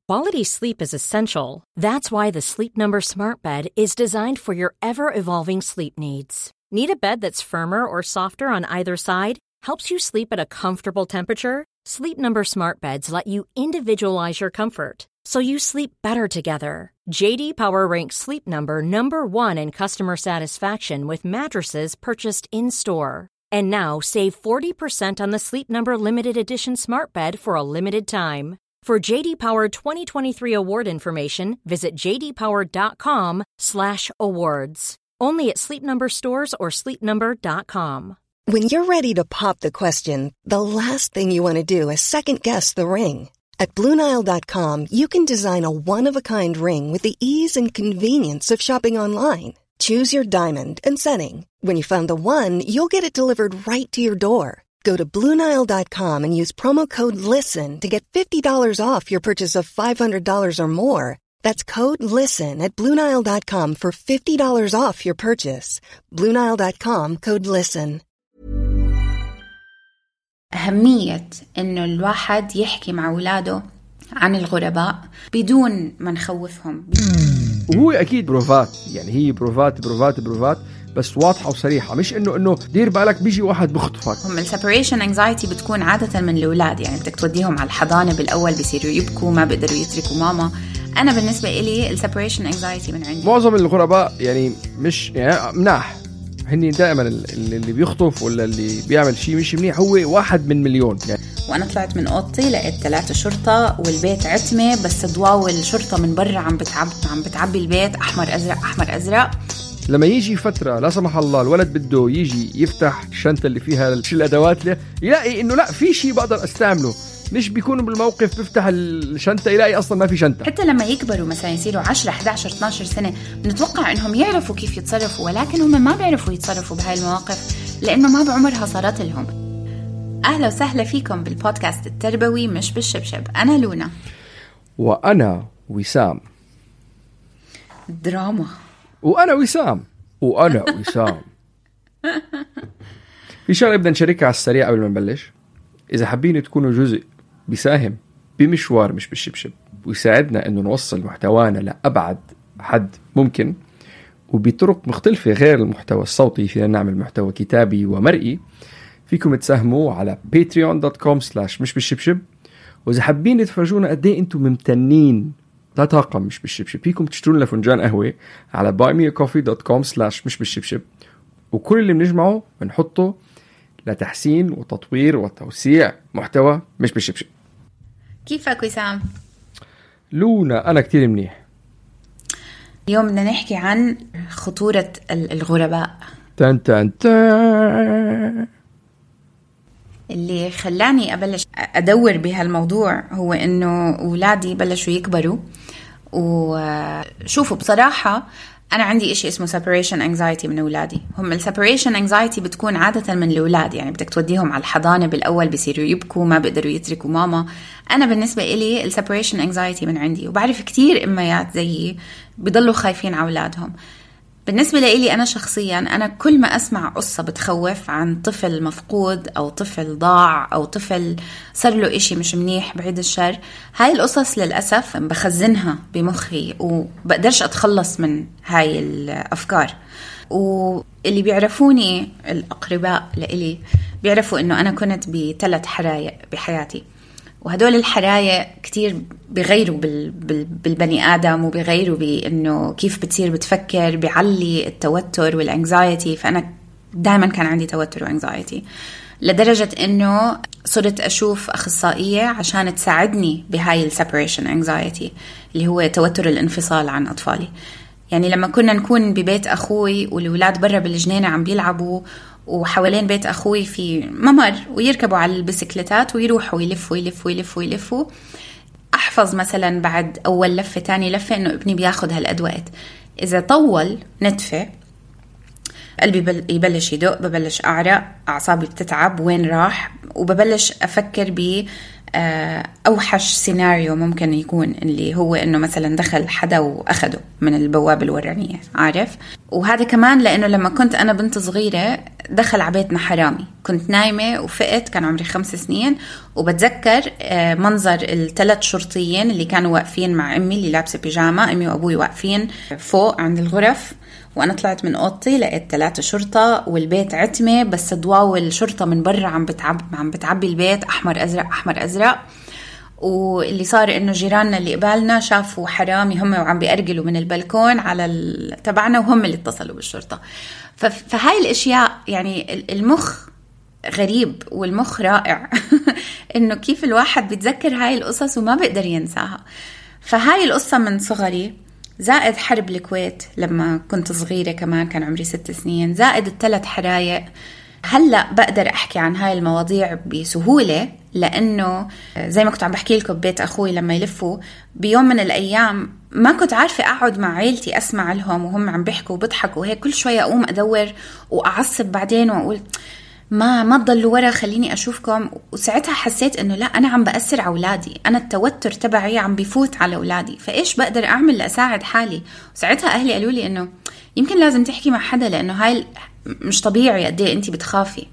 Quality sleep is essential. That's why the Sleep Number Smart Bed is designed for your ever-evolving sleep needs. Need a bed that's firmer or softer on either side? Helps you sleep at a comfortable temperature? Sleep Number Smart Beds let you individualize your comfort, so you sleep better together. J.D. Power ranks Sleep Number number 1 in customer satisfaction with mattresses purchased in-store. And now save 40% on the Sleep Number Limited Edition Smart Bed for a limited time. For J.D. Power 2023 award information, visit jdpower.com/awards. Only at Sleep Number stores or sleepnumber.com. When you're ready to pop the question, the last thing you want to do is second-guess the ring. At BlueNile.com, you can design a one-of-a-kind ring with the ease and convenience of shopping online. Choose your diamond and setting. When you find the one, you'll get it delivered right to your door. Go to BlueNile.com and use promo code LISTEN to get $50 off your purchase of $500 or more. That's code LISTEN at BlueNile.com for $50 off your purchase. BlueNile.com, code LISTEN. أهمية إنه الواحد يحكي مع أولاده عن الغرباء بدون ما نخوفهم. وهو أكيد بروفات، يعني هي بروفات بس واضحة وصريحة، مش إنه دير بالك بيجي واحد بخطفك. هم السيبريشن انكزايتي بتكون عادة من الأولاد، يعني بدك توديهم على الحضانة بالأول بيصيروا يبكوا، ما بيقدروا يتركوا ماما. أنا بالنسبة إلي السيبريشن انكزايتي من عندي. معظم الغرباء يعني مش يعني مناح، هني دائما اللي بيخطف ولا اللي بيعمل شيء مش منيح هو واحد من مليون يعني. وأنا طلعت من أوضتي لقيت 3 شرطة والبيت عتمة، بس ضواو الشرطة من برا عم بتعبي البيت أحمر أزرق. لما يجي فترة لا سمح الله الولد بده يجي يفتح الشنطة اللي فيها الأدوات له، يلاقي إنه لا في شيء بقدر أستعمله، مش بيكونوا بالموقف بفتح الشنطة يلاقي أصلا ما في شنطة. حتى لما يكبروا مثلا يصيروا 10 11 12 سنة بنتوقع إنهم يعرفوا كيف يتصرفوا، ولكن هم ما بيعرفوا يتصرفوا بهاي المواقف لأنه ما بعمرها صارت لهم. أهلا وسهلا فيكم بالبودكاست التربوي مش بالشبشب. أنا لونا وأنا وسام. دراما. وأنا وسام. في شغلة بدنا نشاركها على السريع قبل ما نبلش. إذا حابين تكونوا جزء بيساهم بمشوار مش بالشبشب ويساعدنا إنه نوصل محتوانا لأبعد حد ممكن وبطرق مختلفة غير المحتوى الصوتي، فينا نعمل محتوى كتابي ومرئي، فيكم تساهموا على patreon.com/مش بالشبشب. وإذا حابين تفرجونا قد إيه أنتم ممتنين لا طاقة مش بالشبشب، فيكم تشترون لنا فنجان قهوة على buymeacoffee.com/مش بالشبشب، وكل اللي بنجمعه بنحطه لتحسين وتطوير وتوسيع محتوى مش بالشبشب. كيفك وسام؟ لونا أنا كتير منيح. اليوم بدنا نحكي عن خطورة الغرباء. تن اللي خلاني أبلش أدور بهالموضوع هو إنه أولادي بلشوا يكبروا، وشوفوا بصراحة أنا عندي إشي اسمه separation anxiety من أولادي. هم separation anxiety بتكون عادة من الأولاد، يعني بدك توديهم على الحضانة بالأول بيصيروا يبكوا، ما بيقدروا يتركوا ماما. أنا بالنسبة إلي separation anxiety من عندي، وبعرف كتير إميات زيي بيضلوا خايفين على أولادهم. بالنسبة لي أنا شخصياً، أنا كل ما أسمع قصة بتخوف عن طفل مفقود أو طفل ضاع أو طفل صار له إشي مش منيح بعيد الشر، هاي القصص للأسف بخزنها بمخي وبقدرش أتخلص من هاي الأفكار. واللي بيعرفوني الأقرباء لإلي بيعرفوا إنه أنا كنت ب3 حرايق بحياتي، وهدول الحرايق كتير بيغيروا بالبني آدم وبيغيروا بإنه كيف بتصير بتفكر، بيعلي التوتر والانكزايتي. فأنا دائما كان عندي توتر وانكزايتي لدرجة إنه صرت أشوف أخصائية عشان تساعدني بهاي السيبريشن انكزايتي اللي هو توتر الانفصال عن أطفالي. يعني لما كنا نكون ببيت أخوي والولاد برا بالجنينة عم بيلعبوا وحوالين بيت أخوي في ممر ويركبوا على البسكليتات ويروحوا يلفوا، أحفظ مثلا بعد أول لفة تاني لفة إنه ابني بياخد هالأدوات. إذا طول نتفة قلبي يبلش يدق، ببلش أعرق، أعصابي بتتعب، وين راح، وببلش أفكر أوحش سيناريو ممكن يكون اللي هو إنه مثلا دخل حدا وأخده من البوابة الورانية، عارف. وهذا كمان لأنه لما كنت أنا بنت صغيرة دخل عبيتنا حرامي، كنت نايمة وفقت، كان عمري 5 سنين، وبتذكر منظر ال3 شرطيين اللي كانوا واقفين مع أمي اللي لابسة بيجامة، أمي وأبوي واقفين فوق عند الغرف، وأنا طلعت من أوضتي لقيت 3 شرطة والبيت عتمة، بس ضواو الشرطة من برا عم بتعبي البيت أحمر أزرق أحمر أزرق. واللي صار إنه جيراننا اللي قبالنا شافوا حرامي هم وعم بيأرجلوا من البلكون على تبعنا، وهم اللي اتصلوا بالشرطة. فهاي الأشياء يعني المخ غريب والمخ رائع إنه كيف الواحد بيتذكر هاي القصص وما بيقدر ينساها. فهاي القصة من صغري، زائد حرب الكويت لما كنت صغيرة كمان كان عمري 6 سنين، زائد ال3 حرايق. هلأ بقدر أحكي عن هاي المواضيع بسهولة لأنه زي ما كنت عم بحكي لكم ببيت أخوي لما يلفوا بيوم من الأيام ما كنت عارفة أقعد مع عيلتي أسمع لهم وهم عم بيحكوا وبضحكوا وهيك، كل شوية أقوم أدور وأعصب بعدين وأقول ما تضلوا ورا خليني أشوفكم. وساعتها حسيت إنه لا، أنا عم بأثر على أولادي، أنا التوتر تبعي عم بيفوت على أولادي، فإيش بقدر أعمل لأساعد حالي؟ وساعتها أهلي قالوا لي إنه يمكن لازم تحكي مع حدا لأنه هاي مش طبيعي قد ايه انتي بتخافي.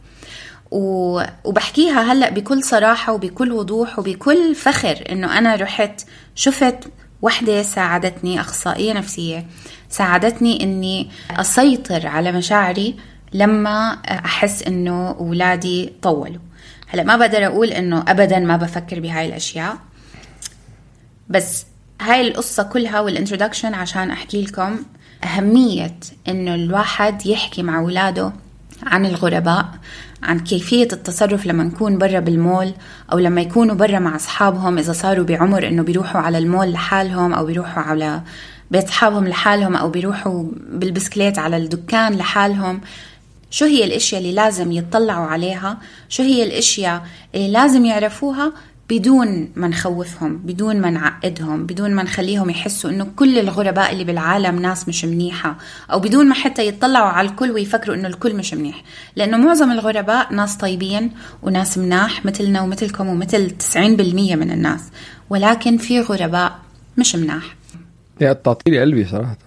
وبحكيها هلأ بكل صراحة وبكل وضوح وبكل فخر إنه أنا رحت شفت وحدة ساعدتني، أخصائية نفسية ساعدتني إني أسيطر على مشاعري لما أحس إنه أولادي طولوا. هلأ ما بقدر أقول إنه أبدا ما بفكر بهاي الأشياء، بس هاي القصة كلها والانترودكشن عشان أحكي لكم أهمية إنه الواحد يحكي مع أولاده عن الغرباء، عن كيفية التصرف لما نكون برا بالمول أو لما يكونوا برا مع أصحابهم، إذا صاروا بعمر إنه بيروحوا على المول لحالهم أو بيروحوا على بيت أصحابهم لحالهم أو بيروحوا بالبسكليت على الدكان لحالهم. شو هي الأشياء اللي لازم يتطلعوا عليها، شو هي الأشياء اللي لازم يعرفوها بدون ما نخوفهم، بدون ما نعقدهم، بدون ما نخليهم يحسوا إنه كل الغرباء اللي بالعالم ناس مش منيحة، أو بدون ما حتى يتطلعوا على الكل ويفكروا إنه الكل مش منيح، لأنه معظم الغرباء ناس طيبين وناس مناح مثلنا ومثلكم ومثل 90% من الناس، ولكن في غرباء مش مناح. يا تعطيلي قلبي صراحة.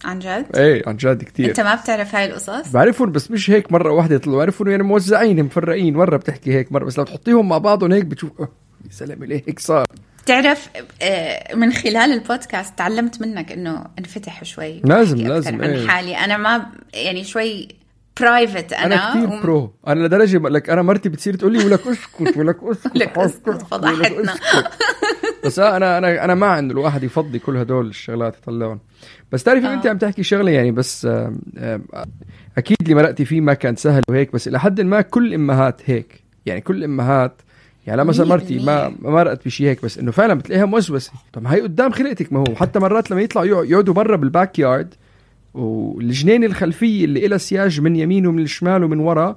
عن جد؟ ايه عن جد كتير. انت ما بتعرف هاي القصص؟ بعرفهم بس مش هيك مرة واحدة يطلعوا، بعرفهم يعني موزعين مفرقين، مرة بتحكي هيك مرة، بس لو تحطيهم مع بعضهم هيك بتشوف يا سلام ليه هيك صار. تعرف من خلال البودكاست تعلمت منك انه انفتح شوي، لازم عن ايه. حالي انا ما يعني شوي برايفت، انا كتير برو، انا لدرجة لك انا مرتي بتصير تقول لي ولك اسكت ولك اسكت فضحتنا. بس انا مع انه الواحد يفضي كل هدول الشغلات يطلعون. بس تعرفي انت عم تحكي شغله يعني، بس اكيد اللي مرقتي فيه ما كان سهل وهيك، بس الى حد ما كل امهات هيك يعني، كل امهات يعني مثلا مرتي ما مرقت بشيء هيك، بس انه فعلا بتلاقيها موسوسه. طب هي قدام خلقتك، ما هو حتى مرات لما يطلعوا يقعدوا برا بالباك يارد والجنين الخلفيه اللي إلها سياج من يمين ومن الشمال ومن ورا،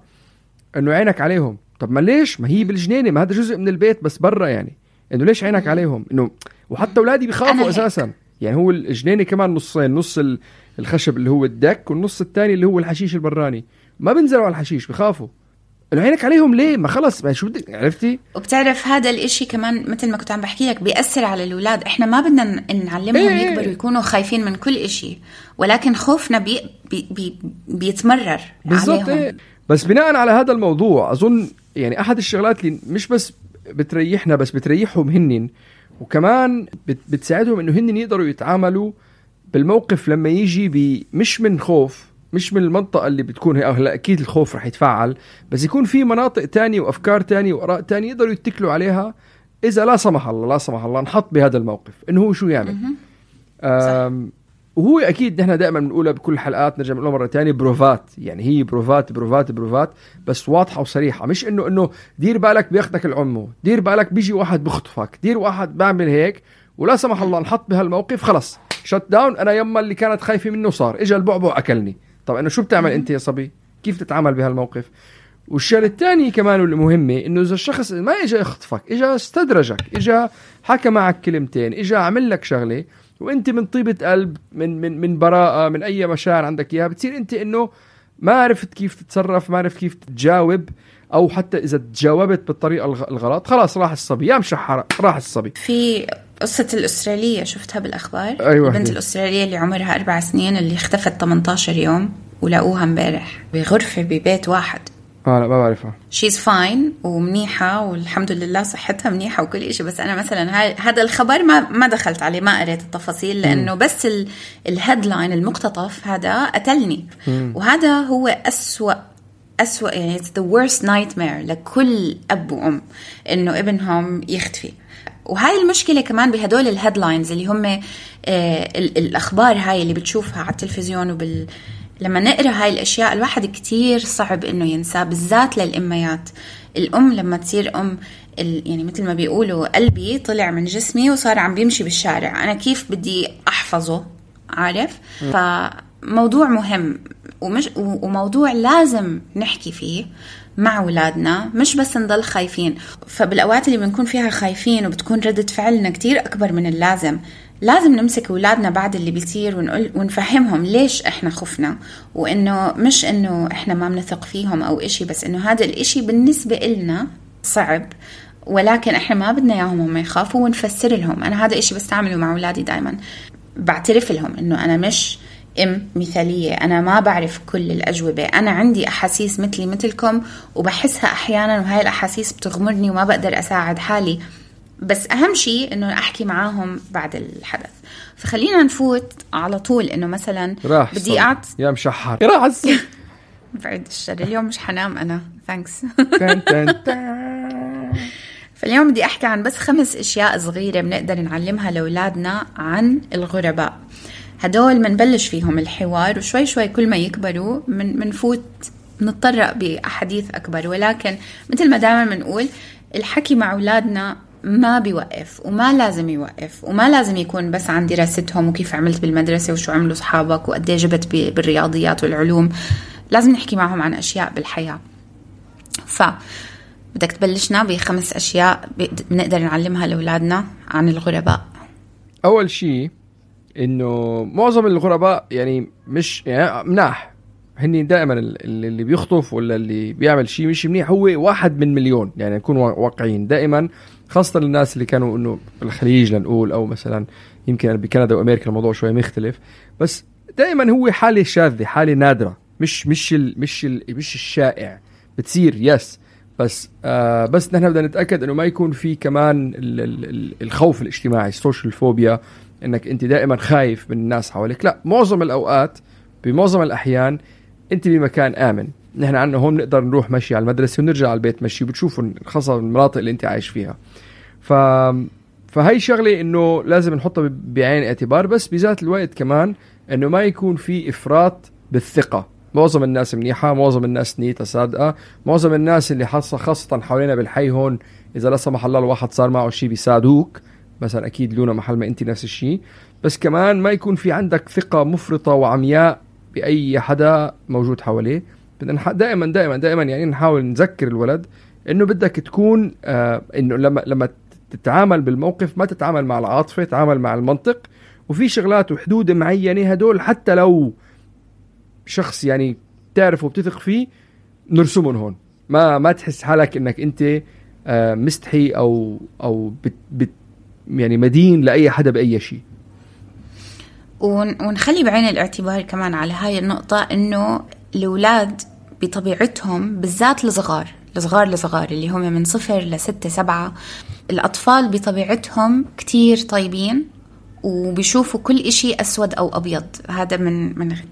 انه عينك عليهم. طب ما ليش؟ ما هي بالجنينه، ما هذا جزء من البيت بس برا يعني، انه ليش عينك عليهم؟ انه وحتى اولادي بيخافوا اساسا يعني. هو الجنينه كمان نصين، نص الخشب اللي هو الدك والنص الثاني اللي هو الحشيش البراني، ما بنزلوا على الحشيش، بيخافوا. انه عينك عليهم ليه؟ ما خلص ما شو بدك، عرفتي؟ وبتعرف هذا الاشي كمان مثل ما كنت عم بحكي لك بيأثر على الاولاد. احنا ما بدنا نعلمهم يكبروا يكونوا خايفين من كل اشي، ولكن خوفنا بيتمرر بالضبط عليهم. بس بناء على هذا الموضوع اظن يعني احد الشغلات اللي مش بس بتريحنا بس بتريحهم هنن، وكمان بتساعدهم انه هنن يقدروا يتعاملوا بالموقف لما يجي مش من خوف، مش من المنطقة اللي بتكون هي. هلا أكيد الخوف رح يتفاعل، بس يكون في مناطق تانية وأفكار تانية وآراء تانية يقدروا يتكلوا عليها إذا لا سمح الله نحط بهذا الموقف إنه هو شو يعمل. وهو أكيد نحن دائما بنقولها بكل حلقات، نرجع نقولها مرة تانية، بروفات يعني، هي بروفات بس واضحة وصريحة، مش إنه دير بالك بياخدك العمو، دير بالك بيجي واحد بخطفك، دير واحد بعمل هيك ولا سمح الله نحط بهالموقف خلص شت داون. أنا يما اللي كانت خايفة منه صار إجا البعبع أكلني. طب إنه شو بتعمل أنت يا صبي؟ كيف تتعامل بهالموقف؟ والشيء الثاني كمان واللي مهمة إنه إذا الشخص ما إجا يخطفك، إجا استدرجك، إجا حكى معك كلمتين، إجا عمل لك شغلة وأنت من طيبة قلب من براءة من أي مشاعر عندك إياها، بتصير أنت إنه ما عرفت كيف تتصرف، ما عرفت كيف تجاوب، أو حتى إذا تجاوبت بالطريقة الغلط خلاص راح الصبي، يا مشحرة راح الصبي. في قصة الأسترالية شفتها بالأخبار. أيوة. البنت الأسترالية اللي عمرها 4 سنين اللي اختفت 18 يوم ولقوها امبارح بغرفة ببيت واحد. لا ما بعرفها. she's fine ومنيحة والحمد لله صحتها منيحة وكل إشي. بس أنا مثلا هذا الخبر ما دخلت عليه، ما قريت التفاصيل لأنه بس الهيدلاين المقتطف هذا قتلني. وهذا هو أسوأ يعني it's the worst nightmare لكل أب وأم إنه ابنهم يختفي. وهاي المشكلة كمان بهدول الهيدلاينز اللي هم الأخبار هاي اللي بتشوفها على التلفزيون لما نقرأ هاي الأشياء الواحد كتير صعب إنه ينسى، بالذات للأميات. الأم لما تصير أم يعني مثل ما بيقولوا قلبي طلع من جسمي وصار عم بيمشي بالشارع، أنا كيف بدي أحفظه؟ عارف؟ فموضوع مهم وموضوع لازم نحكي فيه مع أولادنا، مش بس نضل خايفين. فبالأوقات اللي بنكون فيها خايفين وبتكون ردة فعلنا كتير أكبر من اللازم، لازم نمسك أولادنا بعد اللي بيصير ونفهمهم ليش إحنا خفنا، وإنه مش إنه إحنا ما بنثق فيهم أو إشي، بس إنه هذا الإشي بالنسبة إلنا صعب، ولكن إحنا ما بدنا إياهم هم يخافوا، ونفسر لهم. أنا هذا إشي بستعمله مع أولادي دايما، بعترف لهم إنه أنا مش مثالية، أنا ما بعرف كل الأجوبة، أنا عندي أحاسيس مثلي مثلكم وبحسها أحيانا، وهاي الأحاسيس بتغمرني وما بقدر أساعد حالي، بس أهم شيء إنه أحكي معاهم بعد الحدث. فخلينا نفوت على طول إنه مثلا بدي يا مشحر راح بعد الشر، اليوم مش حنام أنا ثانكس. فاليوم بدي أحكي عن بس 5 أشياء صغيرة بنقدر نعلمها لأولادنا عن الغرباء. هدول منبلش فيهم الحوار، وشوي شوي كل ما يكبروا منفوت نتطرق بأحاديث أكبر. ولكن مثل ما دائما منقول الحكي مع أولادنا ما بيوقف وما لازم يوقف، وما لازم يكون بس عن دراستهم وكيف عملت بالمدرسة وشو عملوا صحابك وقديه جبت بالرياضيات والعلوم. لازم نحكي معهم عن أشياء بالحياة. بدك تبلشنا ب5 أشياء بنقدر نعلمها لأولادنا عن الغرباء. أول شيء إنه معظم الغرباء يعني مش يعني مناح، هني دائما اللي بيخطف ولا اللي بيعمل شيء مش منيح هو 1 من مليون. يعني نكون واقعيين دائما، خاصة الناس اللي كانوا إنه بالخليج لنقول، أو مثلا يمكن بكندا وأمريكا الموضوع شوي مختلف، بس دائما هو حالة شاذة، حالة نادرة، مش الشائع. بتصير يس بس نحن بدنا نتأكد إنه ما يكون في كمان الخوف الاجتماعي، السوشيال فوبيا، إنك أنت دائما خايف من الناس حواليك. لا، معظم الأوقات بمعظم الأحيان أنت بمكان آمن. نحن عنا هون نقدر نروح مشي على المدرسة ونرجع على البيت مشي، وبتشوفوا خاصة المناطق اللي أنت عايش فيها. فهي شغلة إنه لازم نحطها بعين اعتبار، بس بذات الوقت كمان إنه ما يكون في إفراط بالثقة. معظم الناس منيحة، معظم الناس نيتها صادقة، معظم الناس اللي خاصة حوالينا بالحي هون إذا لا سمح الله الواحد صار معه شيء بيساعدوك، مثلا أكيد لونا محل ما أنت نفس الشيء. بس كمان ما يكون في عندك ثقة مفرطة وعمياء بأي حدا موجود حواليه. بدنا دائما يعني نحاول نذكر الولد إنه بدك تكون إنه لما تتعامل بالموقف ما تتعامل مع العاطفة، تتعامل مع المنطق، وفي شغلات وحدود معينة هدول حتى لو شخص يعني تعرفه وبتثق فيه نرسمهم هون. ما تحس حالك إنك أنت مستحي أو يعني مدين لأي حدا بأي شيء. ونخلي بعين الاعتبار كمان على هاي النقطة إنه الأولاد بطبيعتهم بالذات الصغار اللي هم من 0 ل6 7، الأطفال بطبيعتهم كتير طيبين وبيشوفوا كل إشي أسود أو أبيض. هذا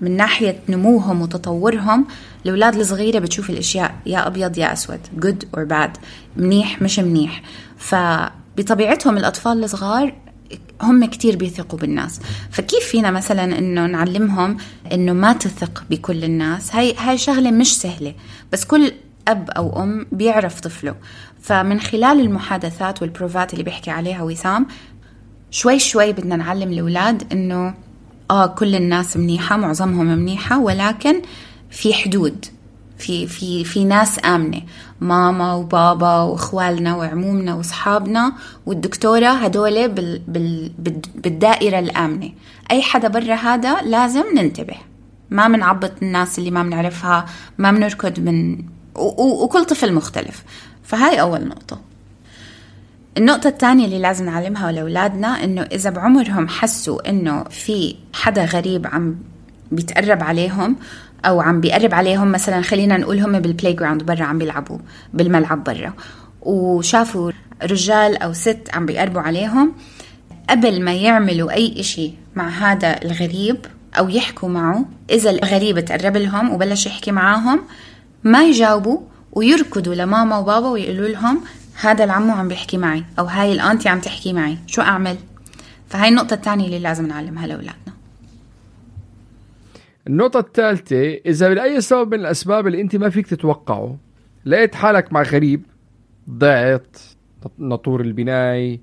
من ناحية نموهم وتطورهم. الأولاد الصغيرة بتشوف الأشياء يا أبيض يا أسود، good or bad، منيح مش منيح. فبطبيعتهم الأطفال الصغار هم كتير بيثقوا بالناس. فكيف فينا مثلا إنه نعلمهم إنه ما تثق بكل الناس؟ هاي شغلة مش سهلة، بس كل أب أو أم بيعرف طفله. فمن خلال المحادثات والبروفات اللي بيحكي عليها وسام، شوي شوي بدنا نعلم الأولاد إنه كل الناس منيحة، معظمهم منيحة، ولكن في حدود، في ناس آمنة، ماما وبابا وإخوالنا وعمومنا وصحابنا والدكتورة، هدول بالدائرة الآمنة. أي حدا برا هذا لازم ننتبه، ما منعبط الناس اللي ما منعرفها، ما منركض وكل طفل مختلف. فهاي أول نقطة. النقطة الثانية اللي لازم نعلمها لأولادنا إنه إذا بعمرهم حسوا إنه في حدا غريب عم بيتقرب عليهم أو عم بيقرب عليهم، مثلا خلينا نقول هم بالبلاي جراوند برا عم بيلعبوا بالملعب برا وشافوا رجال أو ست عم بيقربوا عليهم، قبل ما يعملوا أي إشي مع هذا الغريب أو يحكوا معه، إذا الغريب تقرب لهم وبلش يحكي معاهم ما يجاوبوا ويركضوا لماما وبابا ويقولوا لهم هذا العمو عم بيحكي معي أو هاي الأنتي عم تحكي معي، شو أعمل؟ فهاي النقطة الثانية اللي لازم نعلمها لأولادنا. النقطة الثالثة، إذا لأي سبب من الأسباب اللي أنت ما فيك تتوقعه لقيت حالك مع غريب، ضعت، نطور البناي،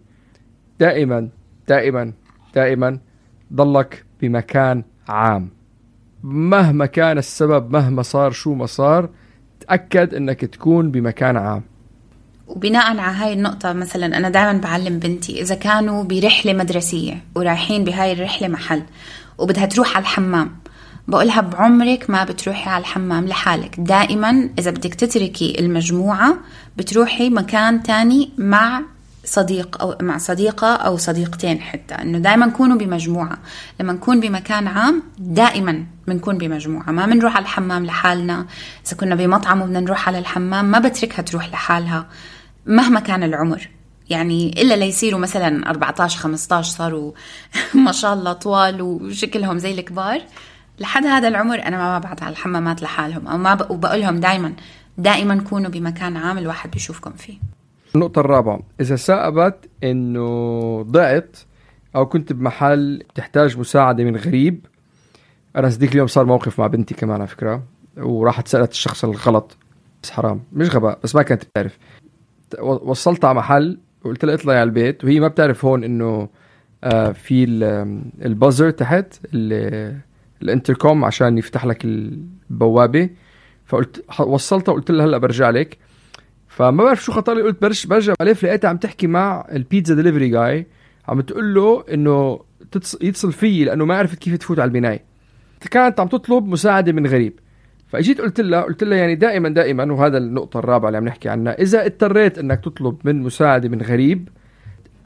دائما دائما دائما ضلك بمكان عام مهما كان السبب، مهما صار شو ما صار، تأكد أنك تكون بمكان عام. وبناء على هاي النقطة مثلا أنا دائما بعلم بنتي إذا كانوا برحلة مدرسية ورايحين بهاي الرحلة محل وبدها تروح على الحمام، بقولها بعمرك ما بتروحي على الحمام لحالك، دائما إذا بدك تتركي المجموعة بتروحي مكان تاني مع صديق أو مع صديقة أو صديقتين، حتى إنه دائما كونوا بمجموعة. لما نكون بمكان عام دائما بنكون بمجموعة، ما بنروح على الحمام لحالنا. إذا كنا بمطعم وبدنا نروح على الحمام ما بتركها تروح لحالها مهما كان العمر، يعني إلا ليصيروا مثلا 14-15 صاروا ما شاء الله طوال وشكلهم زي الكبار، لحد هذا العمر أنا ما ببعت على الحمامات لحالهم أو ما وبقولهم دائما كونوا بمكان عام الواحد بيشوفكم فيه. النقطة الرابعة، إذا ثبت إنه ضعت أو كنت بمحل تحتاج مساعدة من غريب. أنا صديق اليوم صار موقف مع بنتي كمان على فكرة، وراحت سألت الشخص الغلط، بس حرام مش غباء، بس ما كانت بتعرف. وصلتها على محل وقلت لها اطلعي على البيت، وهي ما بتعرف هون إنه في البازر تحت الانتركوم عشان يفتح لك البوابة. فقلت وصلتها وقلت لها هلأ برجع لك. فما بعرف شو خطر لي، قلت برجع عليه، لقيتها عم تحكي مع البيتزا ديليفري جاي، عم تقول له انه يتصل فيي لانه ما عرفت كيف تفوت على البناية. كانت عم تطلب مساعدة من غريب. فاجيت قلت لها يعني دائما وهذا النقطة الرابعة اللي عم نحكي عنها، اذا اضطريت انك تطلب من مساعدة من غريب،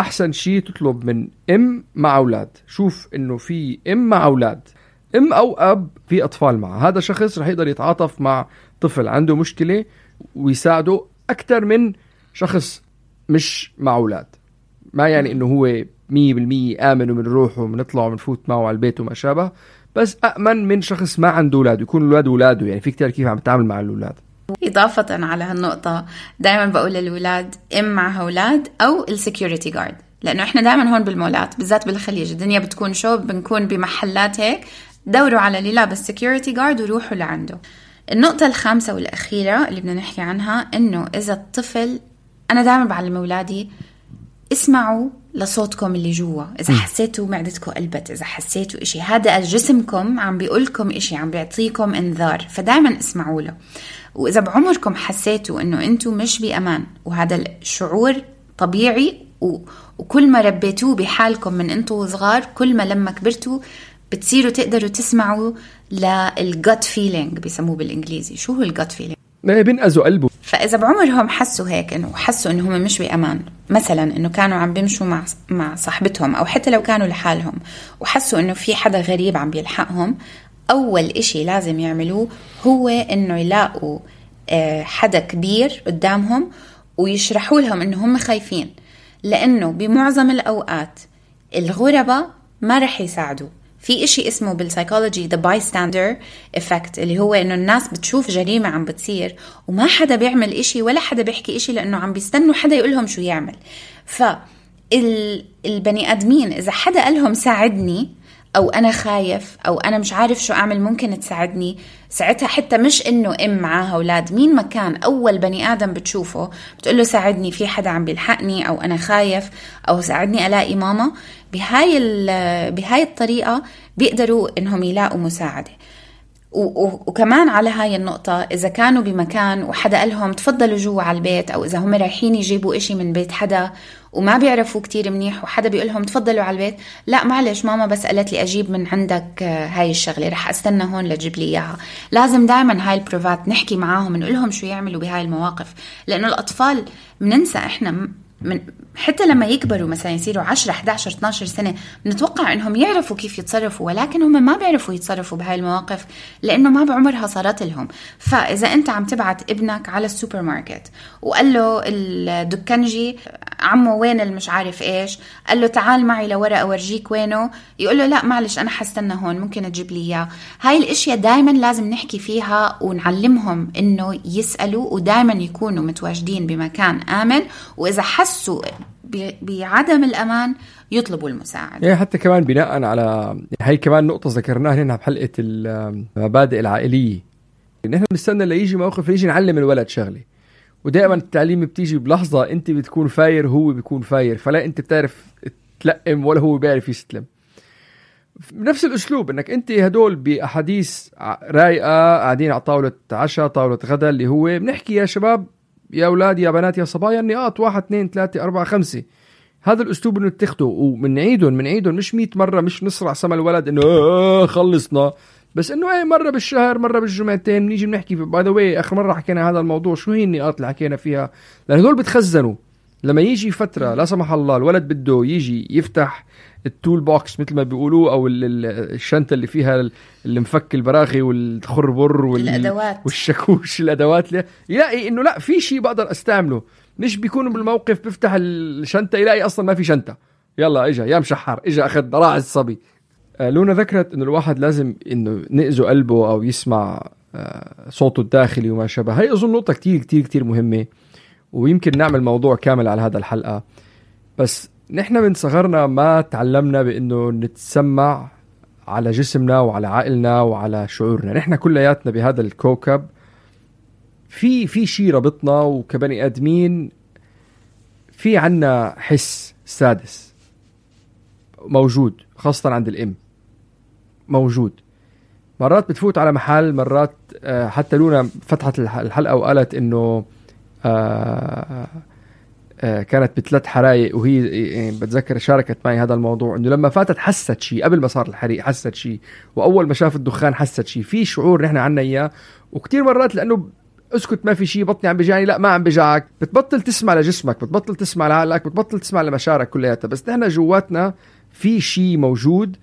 احسن شيء تطلب من ام مع اولاد. شوف انه في ام مع اولاد، ام او اب في اطفال معه، هذا شخص رح يقدر يتعاطف مع طفل عنده مشكلة ويساعده أكتر من شخص مش مع أولاد. ما يعني إنه هو 100% آمن ومنروح ومنطلع ومنفوت معه على البيت وما شابه، بس أأمن من شخص ما عنده أولاد، يكون الأولاد أولاده، يعني في كتير كيف عم تتعامل مع الأولاد. إضافة على هالنقطة دائما بقول للأولاد إم معها أولاد أو السكيورتي جارد، لأنه إحنا دائما هون بالمولات بالذات بالخليج الدنيا بتكون شو، بنكون بمحلات هيك، دوروا على اللي لابس سكيورتي جارد وروحوا لعنده. النقطة الخامسة والأخيرة اللي بدنا نحكي عنها إنه إذا الطفل، أنا دائما بعلم أولادي اسمعوا لصوتكم اللي جوا، إذا حسيتوا معدتكم قلبت، إذا حسيتوا إشي، هذا جسمكم عم بيقولكم إشي، عم بيعطيكم إنذار، فدائما اسمعوا له. وإذا بعمركم حسيتوا إنه أنتوا مش بأمان، وهذا الشعور طبيعي، وكل ما ربيتوه بحالكم من أنتوا صغار، كل ما لما كبرتوا بتصيروا تقدروا تسمعوا للgut feeling بيسموه بالإنجليزي. شو هو الgut feeling؟ بينقذوا قلبه. فإذا بعمرهم حسوا هيك، إنه حسوا إنه هم مش بأمان، مثلا إنه كانوا عم بيمشوا مع صاحبتهم أو حتى لو كانوا لحالهم وحسوا إنه في حدا غريب عم بيلحقهم، أول إشي لازم يعملوه هو إنه يلاقوا حدا كبير قدامهم ويشرحوا لهم إنه هم خايفين، لأنه بمعظم الأوقات الغرباء ما رح يساعدوا. في إشي اسمه بالسايكولوجي the bystander effect، اللي هو إنه الناس بتشوف جريمة عم بتصير وما حدا بيعمل إشي ولا حدا بيحكي إشي، لأنه عم بيستنوا حدا يقولهم شو يعمل. فالبني آدمين إذا حدا قالهم ساعدني أو أنا خايف أو أنا مش عارف شو أعمل ممكن تساعدني، ساعتها حتى مش إنه معاها أولاد، مين ما كان أول بني آدم بتشوفه بتقوله ساعدني، في حدا عم بيلحقني، أو أنا خايف، أو ساعدني ألاقي ماما. بهاي الطريقة بيقدروا إنهم يلاقوا مساعدة. وكمان على هاي النقطة، إذا كانوا بمكان وحدا قالهم تفضلوا جوا على البيت، أو إذا هم رايحين يجيبوا إشي من بيت حدا وما بيعرفوا كتير منيح وحدا بيقولهم تفضلوا على البيت، لا معلش ماما بس قالت لي أجيب من عندك هاي الشغلة، رح أستنى هون لتجيب لي إياها. لازم دايما هاي البروفات نحكي معاهم، نقولهم شو يعملوا بهاي المواقف، لأنه الأطفال مننسى إحنا حتى لما يكبروا مثلا يصيروا 10 11 12 سنة بنتوقع انهم يعرفوا كيف يتصرفوا، ولكن هم ما بيعرفوا يتصرفوا بهاي المواقف لانه ما بعمرها صارت لهم. فاذا انت عم تبعت ابنك على السوبر ماركت وقال له الدكانجي عمو وين المش عارف ايش، قال له تعال معي لورا اورجيك وينه، يقول له لا معلش انا حستنى هون ممكن تجيب لي اياه. هاي الاشياء دايما لازم نحكي فيها ونعلمهم انه يسألوا، ودايما يكونوا متواجدين بمكان آمن، واذا حسوا بعدم الأمان يطلبوا المساعدة. يعني حتى كمان بناء على هاي كمان نقطة ذكرناها هنا بحلقة المبادئ العائلية، نحن بنستنى ليجي موقف يجي نعلم الولد شغلة، ودائما التعليم بتيجي بلحظة انت بتكون فاير هو بيكون فاير، فلا انت بتعرف تلقم ولا هو بيعرف يستلم. بنفس الأسلوب انك انت هدول بأحاديث رايقة قاعدين على طاولة عشاء طاولة غدا اللي هو بنحكي يا شباب يا أولاد يا بنات يا صبايا النقاط 1 2 3 4 5. هذا الأسلوب إنه نتخذه ومنعيدهم مش 100 مرة، مش نصرع سما الولد إنه خلصنا، بس إنه أي مرة بالشهر مرة بالجمعتين نيجي بنحكي. باي ذا واي آخر مرة حكينا هذا الموضوع شو هي النقاط اللي حكينا فيها، لأن هذول بتخزنوا لما يجي فترة لا سمح الله الولد بده يجي يفتح التول بوكس مثل ما بيقولوا أو الشنطة اللي فيها المفك البراغي والخربر والشاكوش الأدوات، يلاقي إنه لا في شيء بقدر أستعمله، مش بيكون بالموقف بفتح الشنطة يلاقي أصلا ما في شنطة، يلا إجا يا مشحر إجا أخذ راعي الصبي. لونا ذكرت إنه الواحد لازم إنه نأذو قلبه أو يسمع صوته الداخلي وما شابه. هاي أظن نقطة كتير كتير كتير مهمة، ويمكن نعمل موضوع كامل على هذا الحلقة. بس نحن من صغرنا ما تعلمنا بأنه نتسمع على جسمنا وعلى عقلنا وعلى شعورنا. نحن كلياتنا بهذا الكوكب في شيء ربطنا، وكبني آدمين في عنا حس سادس موجود خاصة عند الأم موجود. مرات بتفوت على محل، مرات حتى لونا فتحت الحلقة وقالت إنه كانت ب3 حرايق، وهي يعني بتذكر شاركت معي هذا الموضوع إنه لما فاتت حست شيء قبل ما صار الحريق، حست شيء، وأول ما شافت الدخان حست شيء. في شعور نحن عنا إياه، وكتير مرات لأنه اسكت ما في شيء بطني عم بيجاني، لا ما عم بيجعك، بتبطل تسمع لجسمك، بتبطل تسمع لعقلك، بتبطل تسمع لمشاعرك كلياتها. بس نحن جواتنا في شيء موجود،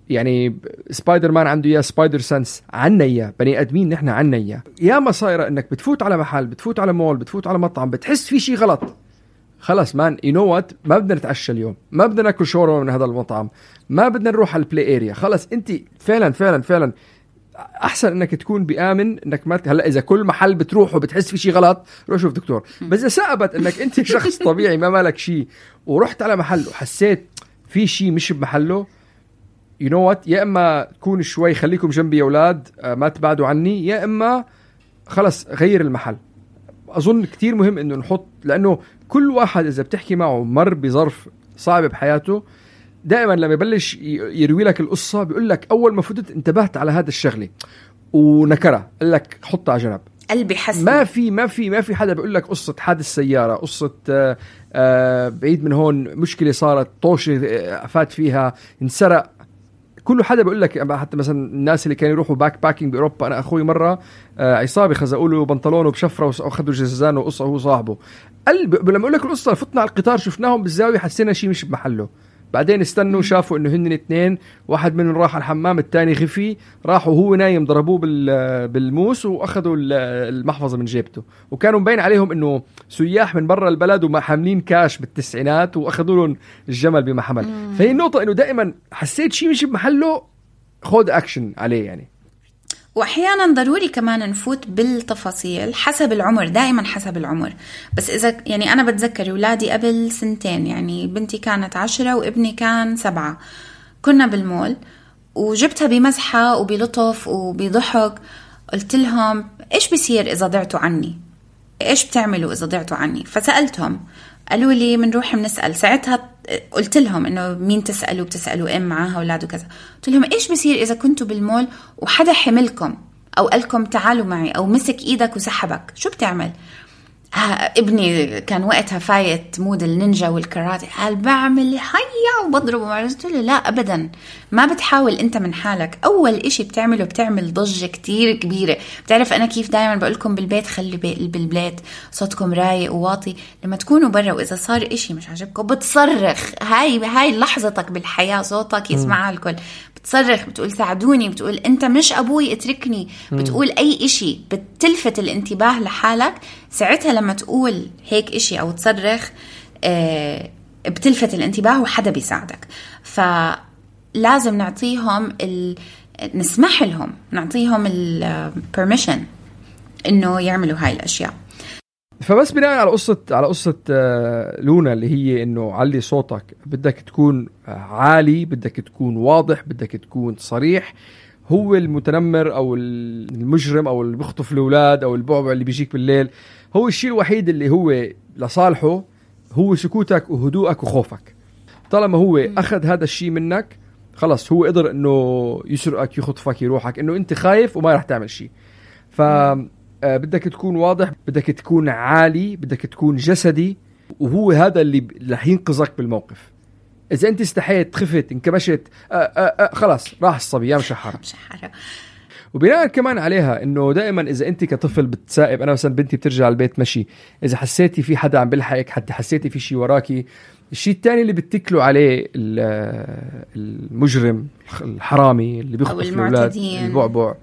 يعني سبايدر مان عنده إياه سبايدر سنس، عنا إياه بني آدمين نحن عنا إياه. يا ما صايرة إنك بتفوت على محل، بتفوت على مول، بتفوت على مطعم، بتحس في شيء غلط، خلاص مان you know what، ما بدنا نتعشى اليوم، ما بدنا ناكل شاورما من هذا المطعم، ما بدنا نروح على البلاي اريا. خلاص انت فعلا فعلا فعلا احسن انك تكون بآمن انك ما هلا اذا كل محل بتروح وبتحس في شيء غلط روح شوف دكتور. بس اذا ثبت انك انت شخص طبيعي ما مالك شيء ورحت على محل وحسيت في شيء مش بمحله you know what، يا اما تكون شوي خليكم جنبي يا اولاد ما تبعدوا عني، يا اما خلص غير المحل. أظن كتير مهم إنه نحط، لأنه كل واحد إذا بتحكي معه مر بظرف صعب بحياته دائما لما يبلش يروي لك القصة بيقول لك أول ما فتت انتبهت على هذا الشغلة ونكرة، قال لك حطها على جنب. قلبي حسن. ما في حدا بيقول لك قصة حادث سيارة، قصة بعيد من هون مشكلة صارت، طوشة فات فيها، انسرق. كل حدا بيقول لك، حتى مثلا الناس اللي كانوا يروحوا باك باكينج بأوروبا، أنا أخوي مرة عصابي خزقوا له بنطلونه بشفرة وأخذوا جزازان وقصة وهو صاحبه. لما أقول لك القصة فتنا على القطار شفناهم بالزاوية حسينا شيء مش بمحله، بعدين استنوا شافوا إنه هن 2، واحد منهم راح الحمام الثاني خفي، راحوا وهو نايم ضربوه بالموس وأخذوا المحفظة من جيبته، وكانوا مبين عليهم إنه سياح من برا البلد وما حاملين كاش بالتسعينات وأخذوا لهم الجمل بما حمل. فهي النقطة إنه دائما حسيت شيء مش بمحله خود أكشن عليه يعني. وأحيانا ضروري كمان نفوت بالتفاصيل حسب العمر، دائما حسب العمر. بس إذا يعني أنا بتذكر أولادي قبل 2 سنين، يعني بنتي كانت 10 وابني كان 7، كنا بالمول وجبتها بمزحة وبلطف وبضحك، قلت لهم إيش بيصير إذا ضعتوا عني؟ إيش بتعملوا إذا ضعتوا عني؟ فسألتهم قالوا لي منروح منسأل. ساعتها قلت لهم إنه مين تسألوا؟ بتسألوا معها أولاد وكذا. قلت لهم إيش بيصير إذا كنتوا بالمول وحدا حملكم أو قالكم تعالوا معي أو مسك إيدك وسحبك، شو بتعمل؟ ابني كان وقتها فايت مود النينجا والكاراتي، قال بعمل حيا وبضربه. قلت له لا أبدا، ما بتحاول أنت من حالك. أول إشي بتعمله بتعمل ضجة كتير كبيرة. بتعرف أنا كيف دايما بقولكم بالبيت خلي بالبيت صوتكم رايق وواطي. لما تكونوا برا وإذا صار إشي مش عجبكم بتصرخ. هاي لحظتك بالحياة، صوتك يسمعها الكل. بتصرخ، بتقول ساعدوني، بتقول أنت مش أبوي اتركني، بتقول أي إشي بتلفت الانتباه لحالك. ساعتها لما تقول هيك إشي أو تصرخ بتلفت الانتباه وحدا بيساعدك. فلازم نعطيهم نسمح لهم، نعطيهم البرميشن إنه يعملوا هاي الأشياء. فبس بناء على قصة لونا اللي هي إنه علي صوتك، بدك تكون عالي، بدك تكون واضح، بدك تكون صريح. هو المتنمر أو المجرم أو اللي بيخطف الأولاد أو البعبع اللي بيجيك بالليل، هو الشيء الوحيد اللي هو لصالحه هو سكوتك وهدوءك وخوفك. طالما هو أخذ هذا الشيء منك خلاص، هو قدر إنه يسرقك، يخطفك، يروحك، إنه أنت خايف وما رح تعمل شيء. بدك تكون واضح، بدك تكون عالي، بدك تكون جسدي، وهو هذا اللي رح ينقذك بالموقف. إذا أنت استحيت، خفت، انكبشت، خلاص راح الصبي يا مشحرة. وبناء كمان عليها إنه دائما إذا أنت كطفل بتسائب، أنا مثلا بنتي بترجع البيت مشي، إذا حسيتي في حدا عم بلحقك، حتى حسيتي في شيء وراكي، الشيء الثاني اللي بتكلوا عليه المجرم الحرامي اللي بيخطف الأولاد البعبع،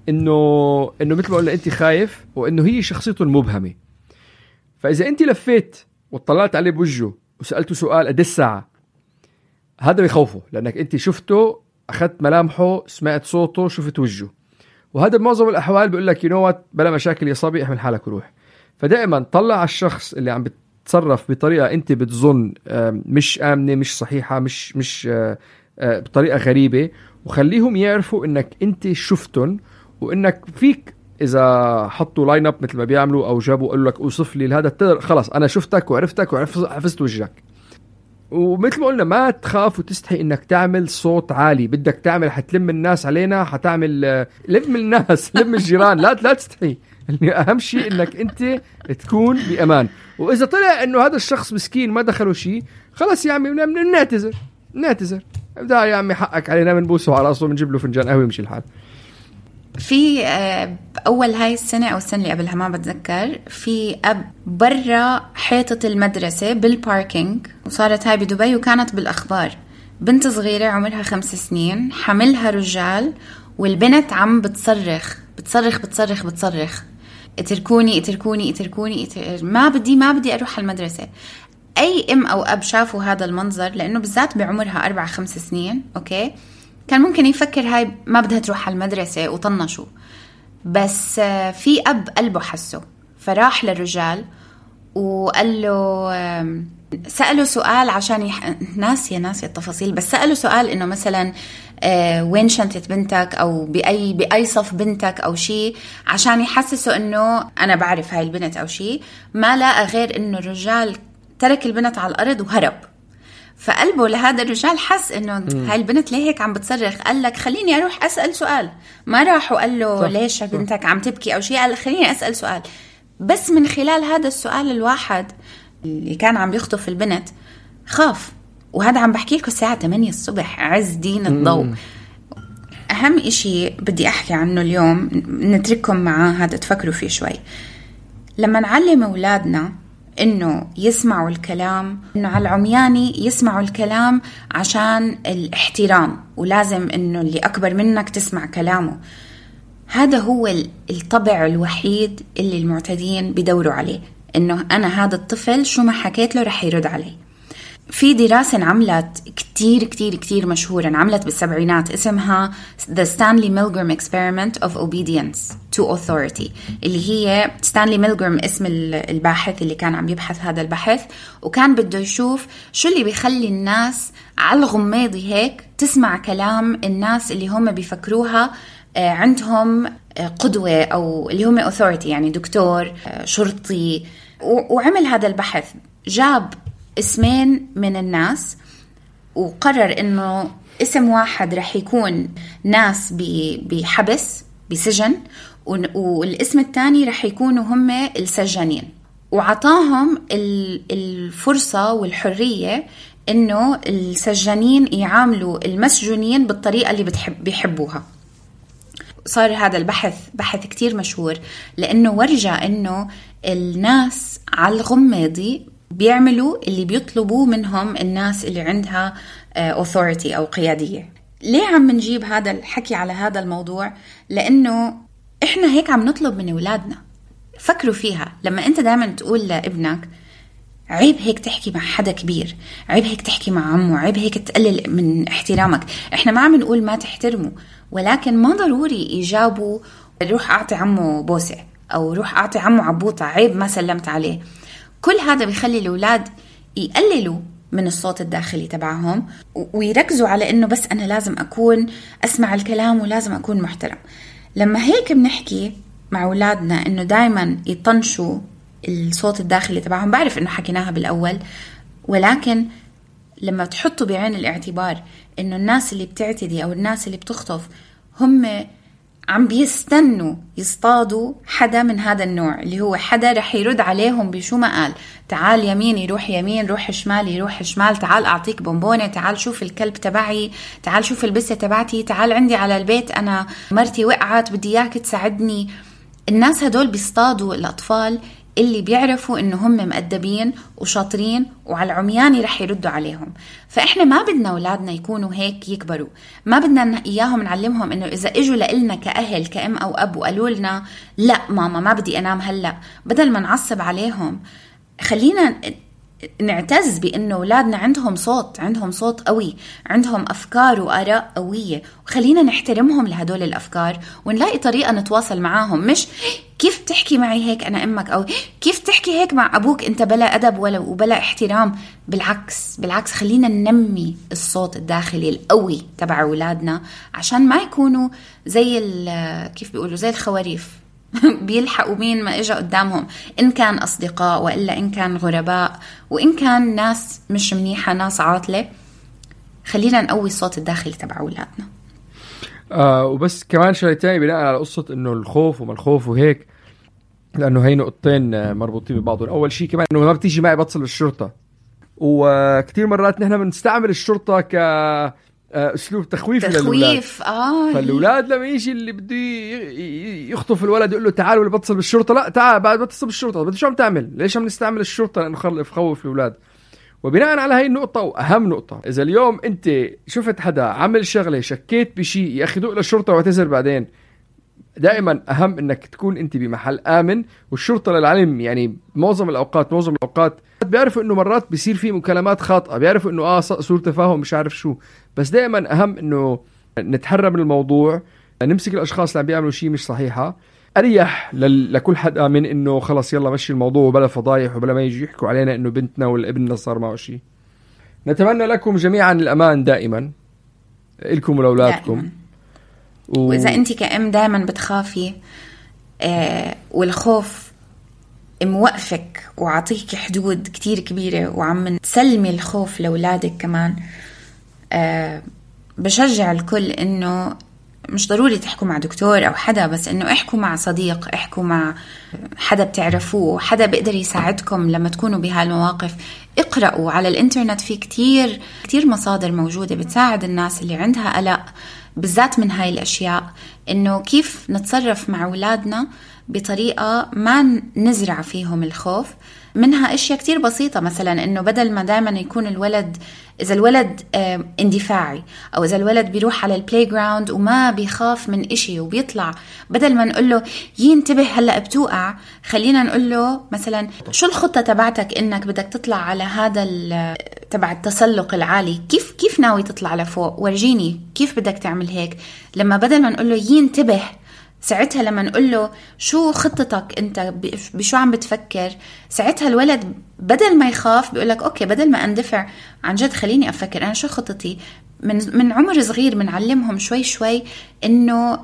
إنه مثل ما قلنا أنت خايف، وإنه هي شخصيته المبهمة. فإذا أنت لفيت وطلعت عليه بوجهه وسألته سؤال قد الساعة، هذا بيخوفه، لأنك أنت شفته، أخذت ملامحه، سمعت صوته، شفت وجهه. وهذا بمعظم الأحوال بيقول لك ينوت بلا مشاكل يا صبي، احمل حالك وروح. فدائما طلع على الشخص اللي عم بتصرف بطريقة أنت بتظن مش آمنة، مش صحيحة، مش بطريقة غريبة، وخليهم يعرفوا إنك أنت شفتن، وإنك فيك إذا حطوا لاين اب مثل ما بيعملوا أو جابوا قالوا لك أوصف لي هذا، خلاص أنا شفتك وعرفتك وحفظت وجهك. ومثل ما قلنا ما تخاف وتستحي إنك تعمل صوت عالي. بدك تعمل، حتلم الناس علينا، حتعمل لم الناس، لم الجيران، لا تستحي. أهم شيء إنك أنت تكون بأمان. وإذا طلع إنه هذا الشخص مسكين ما دخلوا شيء، خلاص يا عمي نعتذر ابدأ يا عمي، حقك علينا، بنبوسه على راسه، بنجيب له فنجان قهوة، يمشي الحال. في أول هاي السنة أو السنة اللي قبلها ما بتذكر، في أب برا حيطة المدرسة بالباركينج، وصارت هاي بدبي وكانت بالأخبار. بنت صغيرة عمرها 5 سنين، حملها رجال، والبنت عم بتصرخ اتركوني، ما بدي أروح المدرسة. أي أم أو أب شافوا هذا المنظر، لأنه بالذات بعمرها 4-5 سنين، أوكي، كان ممكن يفكر هاي ما بدها تروح على المدرسة وطنشوا. بس في أب قلبه حسه، فراح للرجال وقال له، سأله سؤال عشان ناسية التفاصيل، بس سأله سؤال إنه مثلا وين شنطة بنتك، أو بأي صف بنتك أو شيء، عشان يحسسه إنه أنا بعرف هاي البنت أو شيء. ما لقى غير إنه الرجال ترك البنت على الأرض وهرب. فقلبه لهذا الرجال حس إنه هاي البنت ليه هيك عم بتصرخ، قال لك خليني أروح أسأل سؤال. ما راح وقال له ليش بنتك عم تبكي أو شيء، قال خليني أسأل سؤال. بس من خلال هذا السؤال الواحد اللي كان عم يخطف البنت خاف. وهذا عم بحكي لكم الساعة 8 الصبح، عز دين الضوء. أهم إشي بدي أحكي عنه اليوم، نترككم معاه هذا تفكروا فيه شوي. لما نعلم أولادنا إنه يسمعوا الكلام، إنه على العمياني يسمعوا الكلام عشان الاحترام، ولازم إنه اللي أكبر منك تسمع كلامه. هذا هو الطبع الوحيد اللي المعتدين بيدوروا عليه، إنه أنا هذا الطفل شو ما حكيت له رح يرد علي. في دراسة انعملت كتير مشهورة، انعملت بالسبعينات، اسمها The Stanley Milgram Experiment of Obedience to Authority، اللي هي ستانلي ميلغرام اسم الباحث اللي كان عم يبحث هذا البحث، وكان بده يشوف شو اللي بيخلي الناس على الغماضي هيك تسمع كلام الناس اللي هم بيفكروها عندهم قدوة، أو اللي هم authority، يعني دكتور، شرطي. وعمل هذا البحث، جاب اسمين من الناس وقرر إنه اسم واحد رح يكون ناس بحبس بسجن، والاسم الثاني رح يكونوا هم السجانين. وعطاهم الفرصة والحرية إنه السجانين يعاملوا المسجونين بالطريقة اللي بيحبوها. صار هذا البحث بحث كتير مشهور، لأنه ورجع إنه الناس على الغماضي بيعملوا اللي بيطلبوه منهم الناس اللي عندها authority أو قيادية. ليه عم نجيب هذا الحكي على هذا الموضوع؟ لأنه إحنا هيك عم نطلب من أولادنا. فكروا فيها، لما أنت دائما تقول لابنك عيب هيك تحكي مع حدا كبير، عيب هيك تحكي مع عمو، عيب هيك تقلل من احترامك. إحنا ما عم نقول ما تحترمه، ولكن ما ضروري يجابوا روح أعطي عمو بوسة أو روح أعطي عمو عبوطة، عيب ما سلمت عليه. كل هذا بيخلي الأولاد يقللوا من الصوت الداخلي تبعهم ويركزوا على إنه بس أنا لازم أكون أسمع الكلام ولازم أكون محترم. لما هيك بنحكي مع أولادنا إنه دايما يطنشوا الصوت الداخلي تبعهم، بعرف إنه حكيناها بالأول، ولكن لما تحطوا بعين الاعتبار إنه الناس اللي بتعتدي أو الناس اللي بتخطف هم عم بيستنوا يصطادوا حدا من هذا النوع، اللي هو حدا رح يرد عليهم بشو ما قال، تعال يمين يروح يمين، روح شمال يروح شمال، تعال أعطيك بونبونة، تعال شوف الكلب تبعي، تعال شوف البسة تبعتي، تعال عندي على البيت أنا مرتي وقعت بدي إياك تساعدني. الناس هدول بيصطادوا الأطفال اللي بيعرفوا إنه هم مؤدبين وشاطرين وعلى العمياني رح يردوا عليهم. فإحنا ما بدنا أولادنا يكونوا هيك يكبروا، ما بدنا إياهم نعلمهم إنه إذا إجوا لإلنا كأهل كأم أو أب وقالوا لنا لا ماما ما بدي أنام هلأ، بدل ما نعصب عليهم خلينا نعتز بأنه أولادنا عندهم صوت قوي، عندهم أفكار وآراء قوية، وخلينا نحترمهم لهدول الأفكار ونلاقي طريقة نتواصل معاهم. مش كيف تحكي معي هيك أنا أمك، أو كيف تحكي هيك مع أبوك أنت بلا أدب وبلا احترام. بالعكس خلينا ننمي الصوت الداخلي القوي تبع أولادنا عشان ما يكونوا زي كيف بيقولوا زي الخواريف بيلحقوا مين ما إجا قدامهم، إن كان أصدقاء وإلا إن كان غرباء وإن كان ناس مش منيحة ناس عاطلة. خلينا نقوي الصوت الداخلي تبع أولادنا. وبس كمان شيء تاني بناء على قصة إنه الخوف وما الخوف وهيك، لأنه هي نقطتين مربوطين ببعضهم. أول شيء كمان إنه مرة تيجي معي بتصل بالشرطة، وكتير مرات نحن بنستعمل الشرطة اسلوب تخويف للأولاد. فالأولاد لما يجي اللي بده يخطف الولد يقول له تعال ولا بتصل بالشرطة، لا تعال بعد بتصل بالشرطة. بدي شو عم تعمل؟ ليش عم نستعمل الشرطة؟ لأنه خوف الأولاد. وبناء على هاي النقطة وأهم نقطة، إذا اليوم أنت شفت حدا عمل شغلة شكيت بشيء، يا أخي دوق للشرطة واعتذر بعدين. دائما أهم إنك تكون أنت بمحل آمن. والشرطة للعلم يعني معظم الأوقات بيعرفوا إنه مرات بيصير فيه مكالمات خاطئة، بيعرفوا إنه سوء تفاهم مش عارف شو، بس دائما أهم إنه نتحرى من الموضوع، نمسك الأشخاص اللي عم بيعملوا شيء مش صحيحة. أريح لكل حدا من إنه خلص يلا مشي الموضوع وبلا فضايح وبلا ما يجي يحكوا علينا إنه بنتنا ولا ابننا صار معه شيء. نتمنى لكم جميعا الأمان دائما إلكم ولأولادكم. وإذا أنت كأم دائما بتخافي والخوف موقفك وعطيك حدود كتير كبيرة وعم تسلمي الخوف لأولادك كمان، بشجع الكل إنه مش ضروري تحكوا مع دكتور أو حدا، بس إنه احكوا مع صديق، احكوا مع حدا بتعرفوه، حدا بيقدر يساعدكم لما تكونوا بهالمواقف. اقرأوا على الإنترنت، في كتير مصادر موجودة بتساعد الناس اللي عندها قلق بالذات من هاي الأشياء، إنه كيف نتصرف مع أولادنا بطريقة ما نزرع فيهم الخوف. منها أشياء كتير بسيطة، مثلا إنه بدل ما دائما يكون إذا الولد اندفاعي، أو إذا الولد بيروح على البلاي جراوند وما بيخاف من إشي وبيطلع، بدل ما نقول له ينتبه هلأ بتوقع، خلينا نقول له مثلا شو الخطة تبعتك إنك بدك تطلع على هذا تبع التسلق العالي، كيف ناوي تطلع لفوق، ورجيني كيف بدك تعمل هيك. لما بدل ما نقول له ينتبه، ساعتها لما نقول له شو خطتك انت، بشو عم بتفكر، ساعتها الولد بدل ما يخاف بيقولك اوكي، بدل ما اندفع عن جد خليني افكر انا شو خطتي. من عمر صغير بنعلمهم شوي انه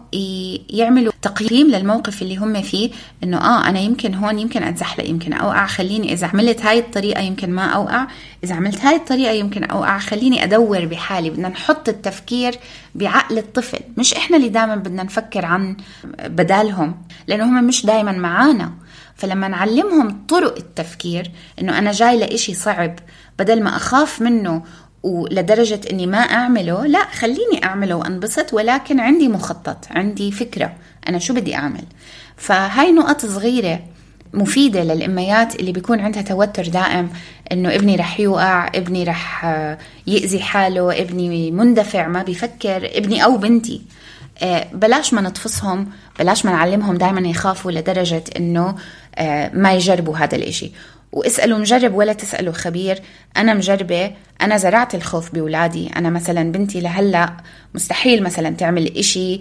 يعملوا تقييم للموقف اللي هم فيه، انه انا يمكن هون يمكن اتزحلق، يمكن اوقع، خليني اذا عملت هاي الطريقة يمكن ما اوقع، اذا عملت هاي الطريقة يمكن اوقع، خليني ادور بحالي. بدنا نحط التفكير بعقل الطفل، مش احنا اللي دائما بدنا نفكر عن بدالهم، لانه هم مش دائما معانا. فلما نعلمهم طرق التفكير، إنه أنا جاي لإشي صعب بدل ما أخاف منه ولدرجة إني ما أعمله، لا خليني أعمله وأنبسط، ولكن عندي مخطط، عندي فكرة أنا شو بدي أعمل. فهاي نقط صغيرة مفيدة للأميات اللي بيكون عندها توتر دائم، إنه ابني رح يوقع، ابني رح يأذي حاله، ابني مندفع ما بيفكر، ابني أو بنتي. بلاش ما نطفصهم، بلاش ما نعلمهم دائما يخافوا لدرجة إنه ما يجربوا هذا الإشي. واسألوا مجرب ولا تسألوا خبير. أنا مجربة، أنا زرعت الخوف بولادي. أنا مثلا بنتي لهلأ مستحيل مثلا تعمل إشي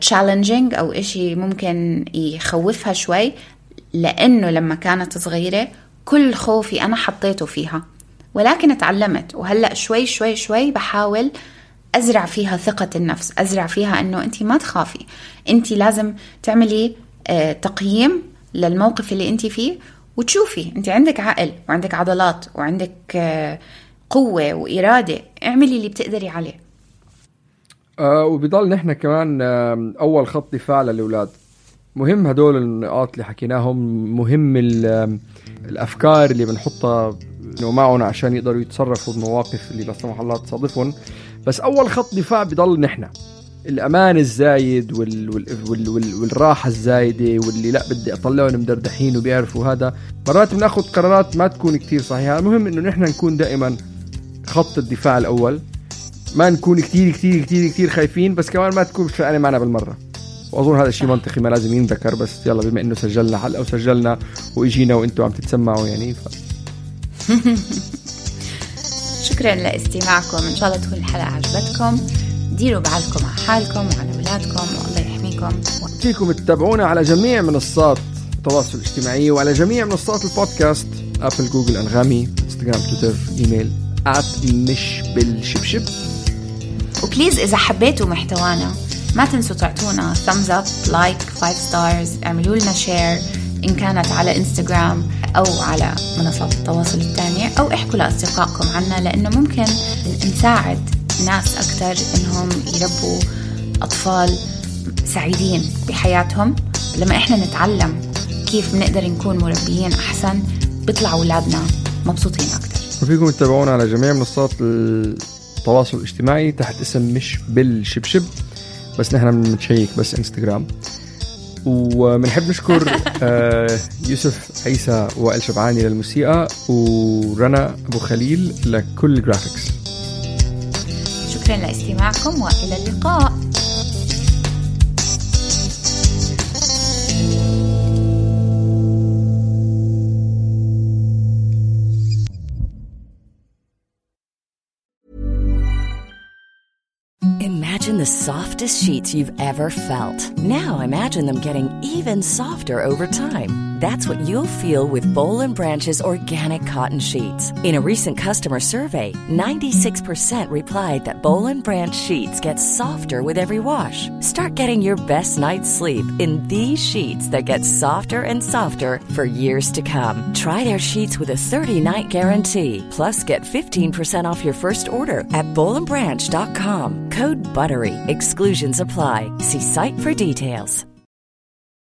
challenging أو إشي ممكن يخوفها شوي، لأنه لما كانت صغيرة كل خوفي أنا حطيته فيها، ولكن اتعلمت. وهلأ شوي شوي شوي بحاول أزرع فيها ثقة النفس، أزرع فيها أنه أنت ما تخافي، أنت لازم تعملي تقييم للموقف اللي أنت فيه، وتشوفي أنت عندك عقل وعندك عضلات وعندك قوة وإرادة، اعملي اللي بتقدري عليه. وبيضل نحن كمان أول خط دفاع للأولاد. مهم هدول النقاط اللي حكيناهم، مهم الأفكار اللي بنحطها إنه معهم عشان يقدروا يتصرفوا بمواقف اللي لا سمح الله تصادفهم. بس أول خط دفاع بيضل نحن الأمان الزايد والراحة الزايدة، واللي لا بدي أطلعهم مدردحين وبيعرفوا هذا. مرات بناخد قرارات ما تكون كتير صحيحة. المهم إنه نحن نكون دائما خط الدفاع الأول، ما نكون كتير كتير كتير كتير خايفين، بس كمان ما تكون فعلا معنا بالمرة. وأظن هذا الشيء منطقي ما لازم ينذكر، بس يلا بما إنه سجلنا حلقة وسجلنا وإجينا وإنتوا عم تتسمعوا يعني شكرا لاستماعكم. إن شاء الله تكون الحلقة عجبتكم. ديروا بعلكم على حالكم وعلى أولادكم، والله يحميكم. فيكم تتابعونا على جميع منصات التواصل الاجتماعي وعلى جميع منصات البودكاست: أبل، جوجل، أنغامي، إنستغرام، تويتر، إيميل مش بالشبشب. وبليز إذا حبيتوا محتوانا ما تنسوا تعطونا thumbs up, like, 5 stars، اعملوا لنا share إن كانت على إنستغرام أو على منصات التواصل الثانية، أو احكوا لأصدقائكم عنا، لأنه ممكن نساعد ناس أكتر إنهم يربوا أطفال سعيدين بحياتهم. لما إحنا نتعلم كيف بنقدر نكون مربيين أحسن، بيطلع أولادنا مبسوطين أكتر. وفيكم تتابعونا على جميع منصات التواصل الاجتماعي تحت اسم مش بالشبشب، بس نحن بنشيك بس انستغرام. وبنحب نشكر يوسف عيسى وائل شبعاني للموسيقى، ورنا أبو خليل لكل الجرافيكس. شكرا لاستماعكم وإلى اللقاء. Imagine the softest sheets you've ever felt. Now imagine them getting even softer over time. That's what you'll feel with Boll & Branch's organic cotton sheets. In a recent customer survey, 96% replied that Boll & Branch sheets get softer with every wash. Start getting your best night's sleep in these sheets that get softer and softer for years to come. Try their sheets with a 30-night guarantee. Plus, get 15% off your first order at bollandbranch.com. Code BUTTERY. Exclusions apply. See site for details.